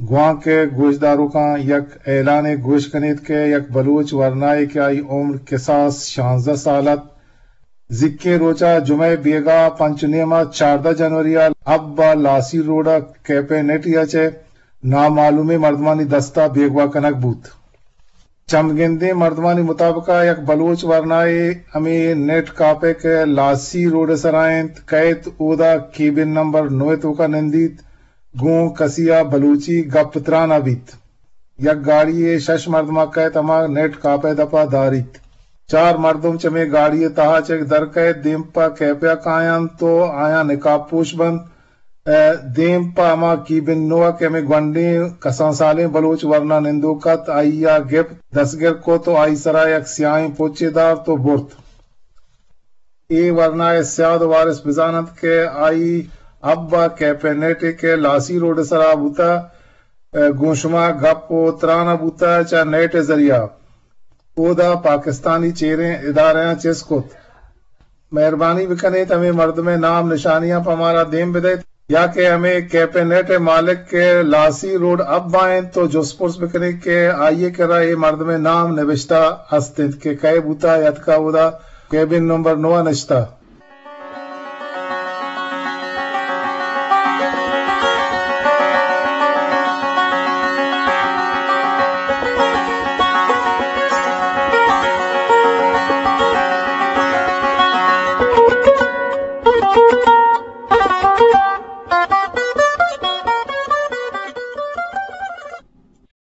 گوانک ءِ گوشداروکاں یک اعلانے گوش کنیت کہ یک بلوچ ورنائے کہ آئی عمر کساس شانزدہ سال ات، زیکیں روچا جمعہ بیگاہ پنچ و نیما چاردہ جنوری ءَ اب ءَ لاسی روڈ ءَ کیپ ءِ نیٹی ءَ چہ نامعلومیں مردمانی دستا بیگواہ کنگ بوت۔ چمگندیں مردمانی مطابق ءَ یک بلوچ ورنائے ہمے نیٹ کاپ ءِ کہ لاسی روڈ ءِ سرا انت، کئیت اودا کیبن نمبر نو ءِ توکا نندیت، گوں کسی ءَ بلوچی گپ تران ءَ بیت۔ یک گاڑی ءِ شش مردم ءَ کئیت، ہما نیٹ کاپ ءِ دپ ءَ داریت۔ چار مردم چمے گاڑی ءِ تہا چہ در کئیت، دیم پہ کیپ ءَ کاینت و آیاں نقاب پوش بنت۔ ءُ دیم پہ ہما کیبن نو ءَ کہ ہمے گونڈیں کسان سالیں بلوچ ورنا نندوک ات، آئی ءَ گپت، دستگر کت و آئی سرا یک سیاہیں پچے دارت و برت۔ اے ورنا ءِ سیاد و وارث بزان انت کہ آئی اب ءَ کیپ ءِ نیٹے کہ لاسی روڈ ءِ سرا بوتہ، ءُ گوں شما گپ و تران ءَ بوتہ، چہ نیٹ ءِ ذریعہ اودا پاکستانی چیریں ادارہاں چست کت۔ مہربانی بکنیت ہمے مردم ءِ نام نشانیاں پہ مارا دیم بدئیت، یا کہ ہمے کیپ ءِ نیٹ ءِ مالک کہ لاسی روڈ اب ءَ انت تو جست پرس بکنیت کہ آئی ءِ کرا اے مردم ءِ نام نبشتہ ہست انت کہ کئے بوتہ، اتکہ اودا کیبن نمبر نو ءَ نشتہ۔